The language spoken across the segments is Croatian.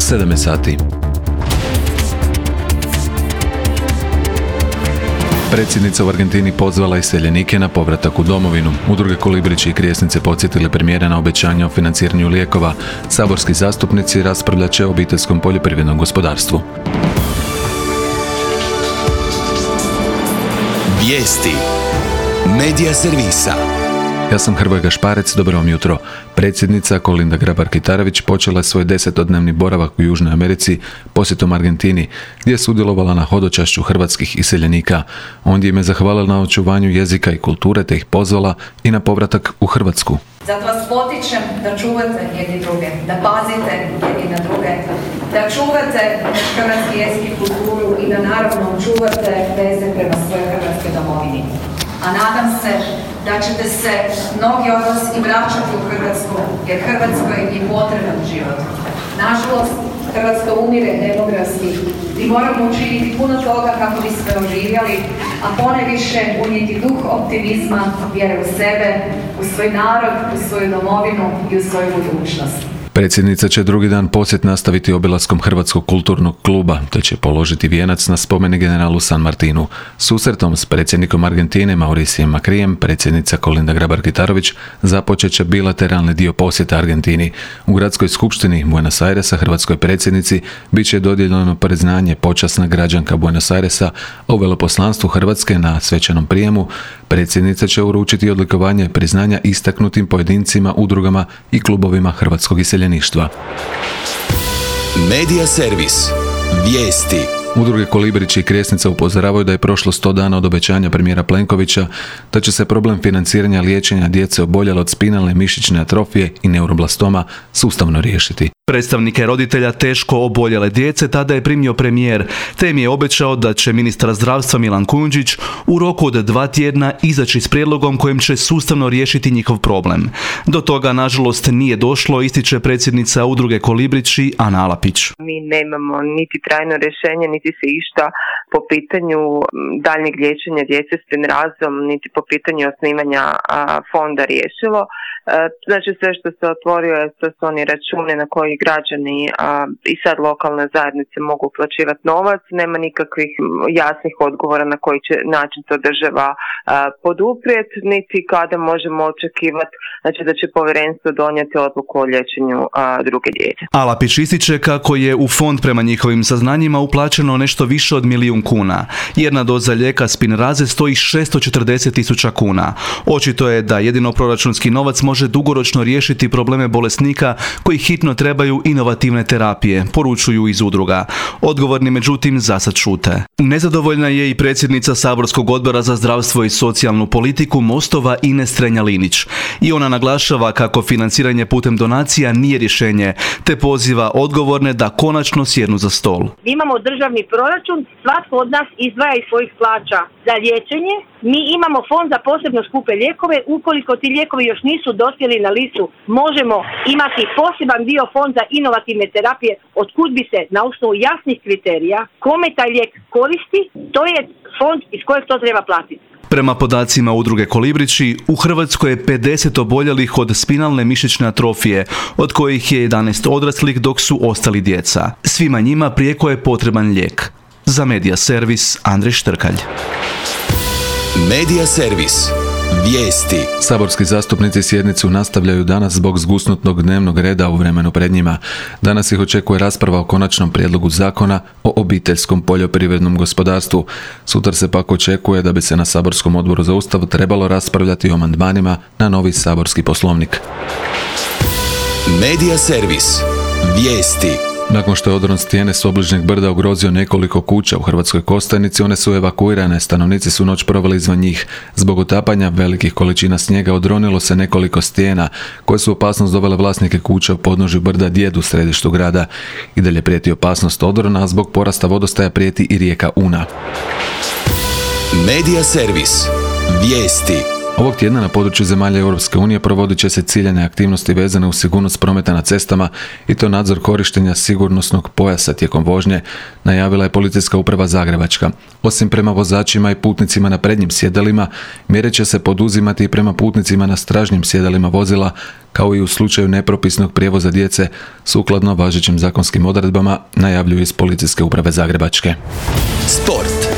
7 sati. Predsjednica u Argentini pozvala iseljenike na povratak u domovinu. Udruge Kolibrići i Krijesnice podsjetili premijera na obećanja o financiranju lijekova. Saborski zastupnici raspravljat će o obiteljskom poljoprivrednom gospodarstvu. Vijesti Medija servisa. Ja sam Hrvoje Gašparec, dobro vam jutro. Predsjednica Kolinda Grabar-Kitarović počela je svoj 10-dnevni boravak u Južnoj Americi posjetom Argentini, gdje je sudjelovala na hodočašću hrvatskih iseljenika. Ondje im je zahvalila na očuvanju jezika i kulture, te ih pozvala i na povratak u Hrvatsku. Zato vas potičem da čuvate jedni druge, da pazite jedni na druge, da čuvate hrvatski jezik i kulturu i da naravno čuvate veze prema svojoj hrvatskoj domovini. A nadam se da ćete se mnogi od vas i vraćati u Hrvatsku, jer Hrvatskoj je potreban život. Nažalost, Hrvatska umire demografski i moramo učiniti puno toga kako bismo oživjeli, a ponajviše unijeti duh optimizma, vjere u sebe, u svoj narod, u svoju domovinu i u svoju budućnost. Predsjednica će drugi dan posjet nastaviti obilaskom Hrvatskog kulturnog kluba, te će položiti vijenac na spomenik generalu San Martinu. Susretom s predsjednikom Argentine Mauricijem Macrijem, predsjednica Kolinda Grabar-Kitarović započet će bilateralni dio posjeta Argentini. U gradskoj skupštini Buenos Airesa hrvatskoj predsjednici bit će dodijeljeno priznanje počasna građanka Buenos Airesa, a u veleposlanstvu Hrvatske na svečanom prijemu predsjednica će uručiti odlikovanje priznanja istaknutim pojedincima, udrugama i klubovima hrvatskog iseljeništva. Medija servis. Vijesti. Udruge Kolibrići i Krijesnica upozoravaju da je prošlo 100 dana od obećanja premijera Plenkovića da će se problem financiranja liječenja djece oboljele od spinalne mišićne atrofije i neuroblastoma sustavno riješiti. Predstavnike roditelja teško oboljele djece tada je primio premijer, te im je obećao da će ministar zdravstva Milan Kujundžić u roku od 2 tjedna izaći s prijedlogom kojim će sustavno riješiti njihov problem. Do toga, nažalost, nije došlo, ističe predsjednica udruge Kolibrići Ana Alapić. Mi nemamo niti trajno rješenje, niti se išta po pitanju daljnjeg liječenja djece s spinrazom, niti po pitanju osnivanja fonda riješilo. Znači sve što se otvorio je, to su oni računi na koji građani i sad lokalne zajednice mogu uplaćivati novac. Nema nikakvih jasnih odgovora na koji će način to država poduprijeti, niti kada možemo očekivati da će povjerenstvo donijeti odluku o liječenju druge djece. Alapić ističe kako je u fond prema njihovim saznanjima uplaćeno nešto više od 1 milijun kuna. Jedna doza lijeka Spinraze stoji 640.000 kuna. Očito je da jedino proračunski novac može dugoročno riješiti probleme bolesnika koji hitno trebaju inovativne terapije, poručuju iz udruga. Odgovorni međutim zasad šute. Nezadovoljna je i predsjednica Saborskog odbora za zdravstvo i socijalnu politiku Mostova Ines Strenja-Linić. I ona naglašava kako financiranje putem donacija nije rješenje, te poziva odgovorne da konačno sjednu za stol. Imamo državni proračun, svatko od nas izdvaja iz svojih plaća za liječenje. Mi imamo fond za posebno skupe lijekove. Ukoliko ti lijekovi još nisu dospjeli na listu, možemo imati poseban dio fond za inovativne terapije, otkud bi se na osnovu jasnih kriterija kome taj lijek koristi, to je fond iz kojeg to treba platiti. Prema podacima udruge Kolibrići, u Hrvatskoj je 50 oboljelih od spinalne mišićne atrofije, od kojih je 11 odraslih dok su ostali djeca. Svima njima prijeko je potreban lijek. Za Medija servis Andrej Štrkalj. Medija servis. Vijesti. Saborski zastupnici sjednicu nastavljaju danas zbog zgusnutog dnevnog reda u vremenu pred njima. Danas ih očekuje rasprava o konačnom prijedlogu zakona o obiteljskom poljoprivrednom gospodarstvu. Sutra se pak očekuje da bi se na Saborskom odboru za Ustav trebalo raspravljati o amandmanima na novi saborski poslovnik. Medija servis. Vijesti. Nakon što je odron stijene s obližnjeg brda ugrozio nekoliko kuća u Hrvatskoj Kostajnici, one su evakuirane, stanovnici su noć proveli izvan njih. Zbog otapanja velikih količina snijega odronilo se nekoliko stijena, koje su opasnost dovele vlasnike kuća u podnožju brda Djed u središtu grada. I dalje prijeti opasnost odrona, a zbog porasta vodostaja prijeti i rijeka Una. Medija servis. Vijesti. Ovog tjedna na području zemalja Europske unije provodit će se ciljane aktivnosti vezane uz sigurnost prometa na cestama i to nadzor korištenja sigurnosnog pojasa tijekom vožnje, najavila je Policijska uprava Zagrebačka. Osim prema vozačima i putnicima na prednjim sjedalima, mjere će se poduzimati i prema putnicima na stražnjim sjedalima vozila, kao i u slučaju nepropisnog prijevoza djece, sukladno važećim zakonskim odredbama, najavljuju iz Policijske uprave Zagrebačke. Sport.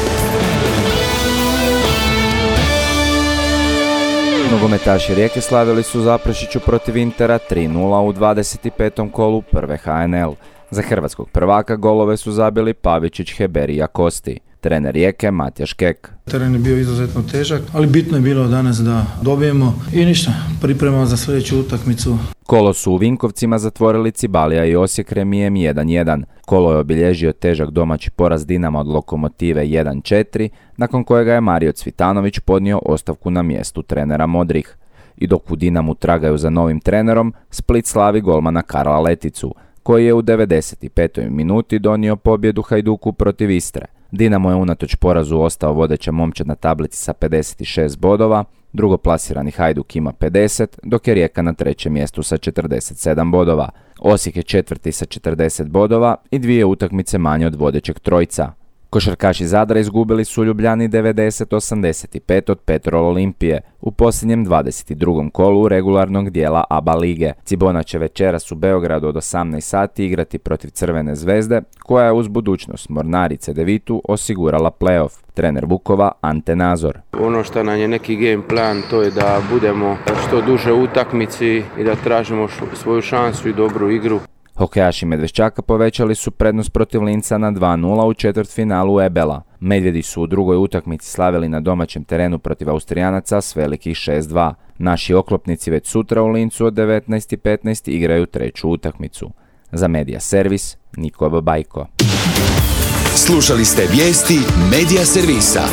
Nogometaši Rijeke slavili su Zaprešiću protiv Intera 3:0 u 25. kolu prve HNL. Za hrvatskog prvaka golove su zabili Pavičić, Heberi i Akosti. Trener Rijeke Matjaš Kek. Teren je bio izuzetno težak, ali bitno je bilo danas da dobijemo i ništa, pripremamo za sljedeću utakmicu. Kolo su u Vinkovcima zatvorili Cibalija i Osijek remijem 1:1. Kolo je obilježio težak domaći poraz Dinama od Lokomotive 1:4, nakon kojega je Mario Cvitanović podnio ostavku na mjestu trenera Modrih. I dok u Dinamu tragaju za novim trenerom, Split slavi golmana Karla Leticu, koji je u 95. minuti donio pobjedu Hajduku protiv Istre. Dinamo je unatoč porazu ostao vodeća momčad na tablici sa 56 bodova, drugoplasirani Hajduk ima 50, dok je Rijeka na trećem mjestu sa 47 bodova. Osijek je četvrti sa 40 bodova i 2 utakmice manje od vodećeg trojca. Košarkaši Zadra izgubili su u Ljubljani 90-85 od Petrol Olimpije u posljednjem 22. kolu regularnog dijela ABA lige. Cibona će večeras u Beogradu od 18 sati igrati protiv Crvene zvezde, koja je uz budućnost Mornarice Devitu osigurala play-off. Trener Vukova Ante Nazor. Ono što nam je neki game plan, to je da budemo što duže u utakmici i da tražimo svoju šansu i dobru igru. Hokejaši Medveščaka povećali su prednost protiv Linca na 2:0 u četvrtfinalu Ebela. Medvjedi su u drugoj utakmici slavili na domaćem terenu protiv Austrijanaca s velikih 6:2. Naši oklopnici već sutra u Lincu od 19:15 igraju treću utakmicu. Za Medija Servis, Niko Babajko. Slušali ste vijesti Medija Servisa.